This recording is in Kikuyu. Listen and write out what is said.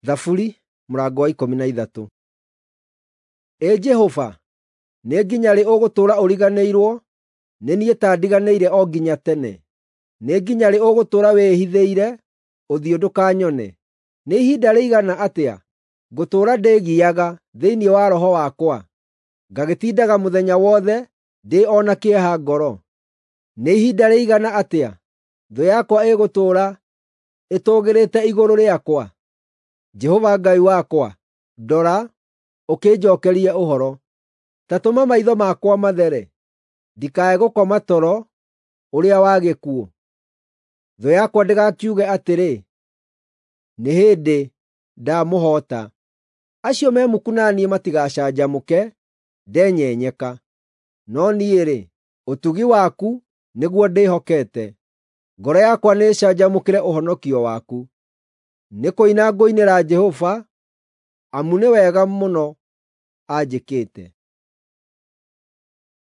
Thaburi mũrango wa 13. Ĩ Jehova, nĩ nginya rĩ ũgũtũũra ũriganĩirwo nĩ niĩ ta ndiganĩire o nginya tene? Nĩ nginya rĩ ũgũtũũra wĩĩhithĩire ũthiũ ndũkanyone? Nĩ ihinda rĩigana atĩa ngũtũũra ndĩĩgiaga thĩinĩ wa roho wakwa, ngagĩtindaga mũthenya wothe ndĩ o na kĩeha ngoro? Nĩ ihinda rĩigana atĩa thũ yakwa ĩgũtũũra ĩtũũgĩrĩte igũrũ rĩakwa? Jehova Ngai wakwa, ndora, ũkĩnjookerie ũhoro. Ta tũma maitho makwa mathere, ndikae gũkoma toro ũrĩa wa gĩkuũ. Thũ yakwa ndĩgakiuge atĩrĩ, “Nĩ hĩndĩ ndamũhoota.” Acio me muku na niĩ matigacanjamũke ndenyenyeka. No niĩ-rĩ, ũtugi waku nĩguo ndĩhokete; ngoro yakwa nĩĩcanjamũkĩre ũhonokio waku. Nĩ kũina ngũinĩra Jehova, amu nĩ wega mũno anjĩkĩte.